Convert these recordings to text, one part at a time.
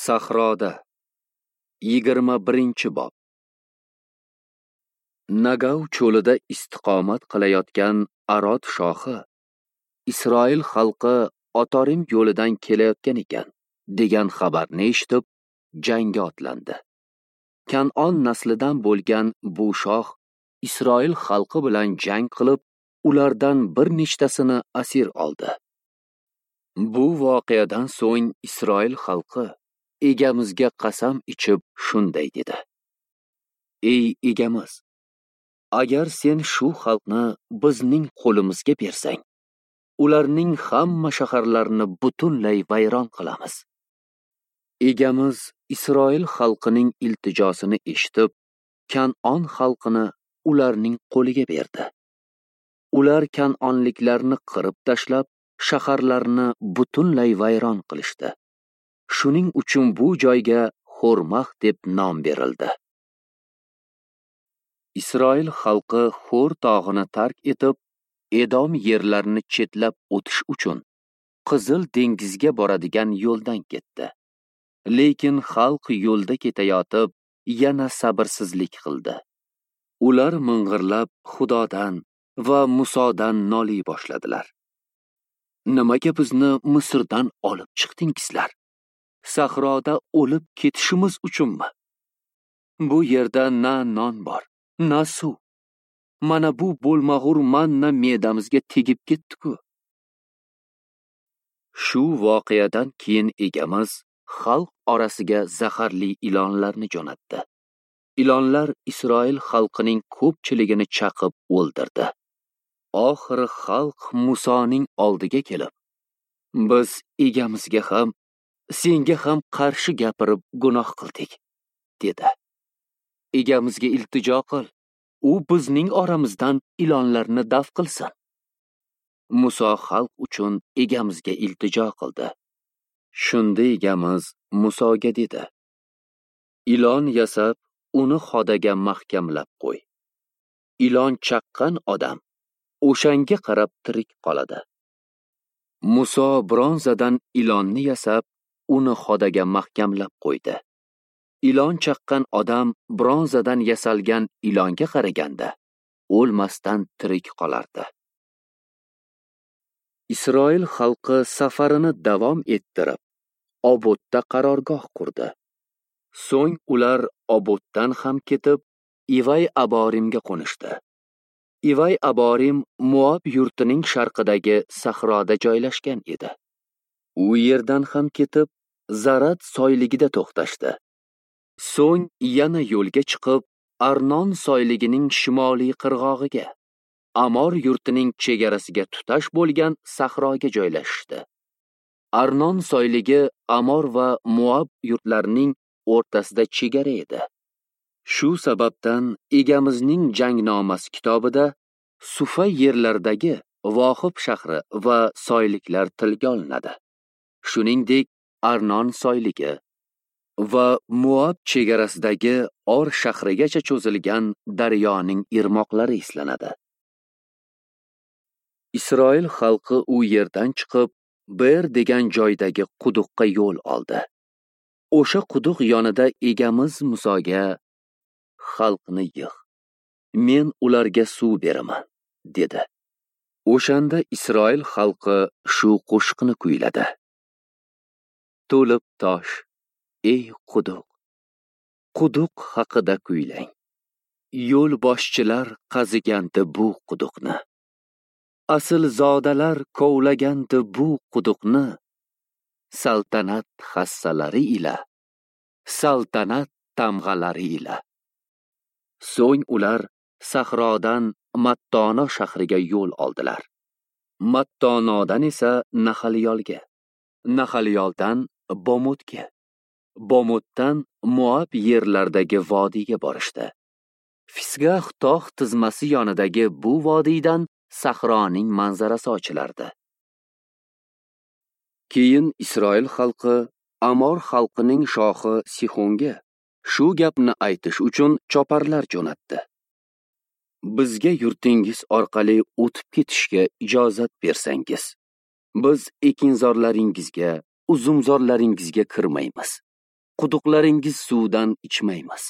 Sahroda 21-bob. Nagav cho'lida istiqomat qilayotgan Arod shohi Isroil xalqi Otorim yo'lidan kelayotgan ekan degan xabarni eshitib, jangga otlandi. Kan'on naslidan bo'lgan bu shoh Isroil xalqi bilan jang qilib, ulardan bir nechtasini asir oldi. Bu voqeadan so'ng Isroil xalqi Egamizga qasam ichib shunday dedi: Ey Egamiz, agar sen shu xalqni bizning qo'limizga bersang, ularning hamma shaharlarini butunlay vayron qilamiz. Egamiz Isroil xalqining iltijosini eshitib, Kan'on xalqini ularning qo'liga berdi. Ular kan'onliklarni qirib tashlab, shaharlarni butunlay vayron qilishdi. Shuning uchun bu joyga Xormax deb nom berildi. Isroil xalqi Xor tog'ini tark etib, Edom yerlarini chetlab o'tish uchun Qizil dengizga boradigan yo'ldan ketdi. Lekin xalq yo'lda ketayotib, yana sabrsizlik qildi. Ular ming'irlab Xudodan va Musodan noliy boshladilar. Nimaga bizni Misrdan olib chiqdingizlar? Sahroda o'lib ketishimiz uchunmi? Bu yerda na non bor, na suv. Mana bu bo'lmag'ur manna me'damizga tegib ketdi-ku. Shu voqeadan keyin Egamiz xalq orasiga zaharli ilonlarni jo'natdi. Ilonlar Isroil xalqining ko'pchiligini chaqib o'ldirdi. Oxiri xalq Musoning oldiga kelib, biz Egamizga ham, senga ham qarshi gapirib gunoh qildik, dedi. Egamizga iltijo qil, u bizning oramizdan ilonlarni daf qilsin. Muso xalq uchun Egamizga iltijo qildi. Shunda Egamiz Musoga dedi: Ilon yasab, uni xodaga mahkamlab qo'y. Ilon chaqqan odam o'shanga qarab tirik qoladi. Muso bronzadan ilonni yasab, uni xodaga mahkamlab qo'ydi. Ilon chaqqan odam bronzadan yasalgan ilonga qaraganda o'lmasdan tirik qolardi. Isroil xalqi safarini davom ettirib, Obodda qarorgoh qurdi. So'ng ular Oboddan ham ketib, Ivay Aborimga qo'nishdi. Ivay Aborim Moab yurtining sharqidagi sahroda joylashgan edi. U yerdan ham ketib, Zarat soyligida to'xtashdi. So'ng yana yo'lga chiqib, Arnon soyligining shimoliy qirg'og'iga, Amor yurtining chegarasiga tutash bo'lgan sahroga joylashdi. Arnon soyligi Amor va Moab yurtlarining o'rtasida chegara edi. Shu sababdan Egamizning jangnomasi kitobida Sufa yerlaridagi Vohib shahri va soyliklar tilga olinadi. Shuningdek, Arnon soyligi va Moab chegarasidagi Or shahrigacha cho'zilgan daryoning irmoqlari eslanadi. Isroil xalqi u yerdan chiqib, Ber degan joydagi quduqqa yo'l oldi. O'sha quduq yonida Egamiz Musoga: Xalqni yig', men ularga suv beraman, dedi. O'shanda Isroil xalqi shu qo'shiqni kuyladi: To'lib tosh, ey quduq, quduq haqida kuylang. Yo'l boshchilar qazigandi bu quduqni. Asl zodalar kovlagandi bu quduqni. Saltanat hassalari ila, saltanat tamg'alari ila. So'ng ular sahrodan Mattono shahriga yo'l oldilar. Mattonodan esa Nahaliyolga, Nahaliyoldan Bomotga, Bomotdan Moab yerlaridagi vodiyga borishdi. Fisgah tog' tizmasi yonidagi bu vodiydan sahroning manzarasi ochilardi. Keyin Isroil xalqi Amor xalqining shohi Sixonga shu gapni aytish uchun choparlar jo'natdi: Bizga yurtingiz orqali o'tib ketishga ijozat bersangiz, biz ekinzorlaringizga, uzumzorlaringizga kirmaymiz. Quduqlaringiz suvdan ichmaymiz.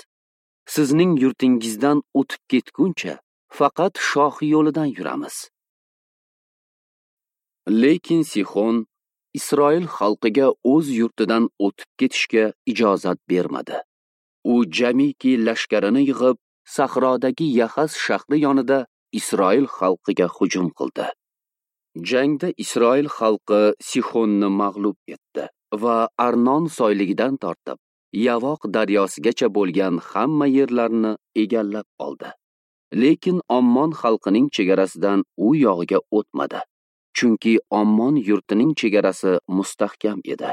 Sizning yurtingizdan o'tib ketguncha faqat shoh yo'lidan yuramiz. Lekin Sixon Isroil xalqiga o'z yurtidan o'tib ketishga ijozat bermadi. U jamiki lashkarini yig'ib, sahrodagi Yahas shahri yonida Isroil xalqiga hujum qildi. Jangda Isroil xalqi Sixonni mag'lub etdi va Arnon soyligidan tortib Yavoq daryosigacha bo'lgan hamma yerlarni egallab oldi. Lekin Ammon xalqining chegarasidan u yog'iga o'tmadi, chunki Ammon yurtining chegarasi mustahkam edi.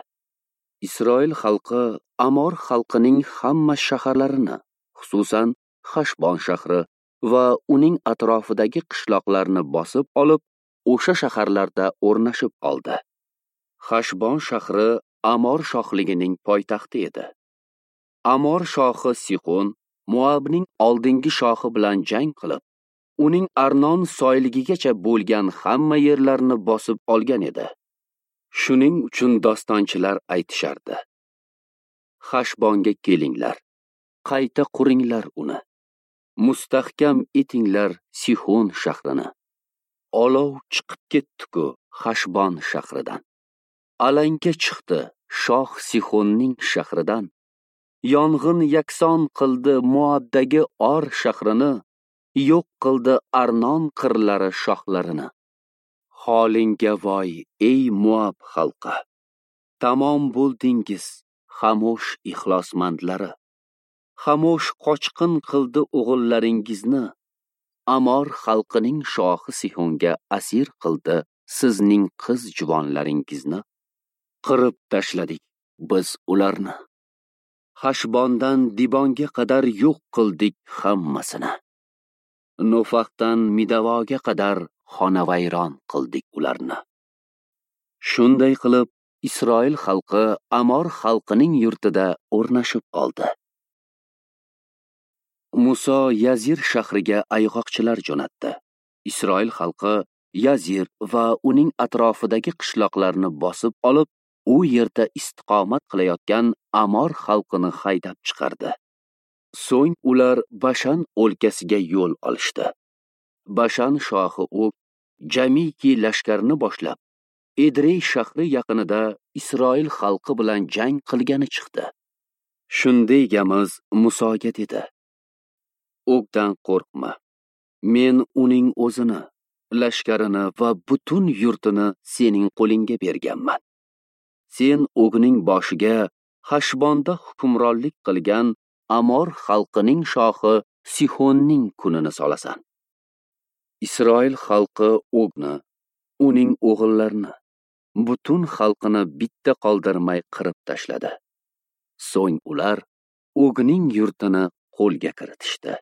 Isroil xalqi Amor xalqining hamma shaharlarini, xususan Xashbon shahri va uning atrofidagi qishloqlarni bosib olib, o'sha shaharlarda o'rnashib oldi. Xashbon shahri Amor shohligining poytaxti edi. Amor shohi Sixon Moabning oldingi shohi bilan jang qilib, uning Arnon soyligigacha bo'lgan hamma yerlarni bosib olgan edi. Shuning uchun dostonchilar aytishardi: Xashbonga kelinglar, qayta quringlar uni, mustahkam etinglar Sixon shahrini. Olov chiqib ketdi-ku Xashbon shahridan. Alanga chiqdi shoh Sixonning shahridan. Yong'in yakson qildi Moabdagi Or shahrini, yo'q qildi Arnon qirlari shohlarini. Holingga voy, ey Moab xalqi! Tamom bo'ldingiz, Xamosh ixlosmandlari. Xamosh qochqin qildi o'g'illaringizni. Amor xalqining shohi Sixonga asir qildi sizning qiz juvonlaringizni. Qirib tashladik biz ularni. Xashbondan Dibonga qadar yo'q qildik hammasini. Nofaxdan Midavoga qadar xonavayron qildik ularni. Shunday qilib Isroil xalqi Amor xalqining yurtida o'rnashib oldi. Muso Yazir shahriga ayg'oqchilar jo'natdi. Isroil xalqi Yazir va uning atrofidagi qishloqlarni bosib olib, u yerda istiqomat qilayotgan Amor xalqini haydab chiqardi. So'ng ular Bashan o'lkasiga yo'l olishdi. Bashan shohi Og jamiki lashkarini boshlab, Edrey shahri yaqinida Isroil xalqi bilan jang qilgani chiqdi. Shunday Egamiz Musoga dedi: Ogdan qo'rqma. Men uning o'zini, lashkarini va butun yurtini sening qo'lingga berganman. Sen Ogning boshiga Xashbonda hukmronlik qilgan Amor xalqining shohi Sixonning kunini solasan. Isroil xalqi Ogni, uning o'g'illarini, butun xalqini bitta qoldirmay qirib tashladi. So'ng ular Ogning yurtini qo'lga kiritishdi.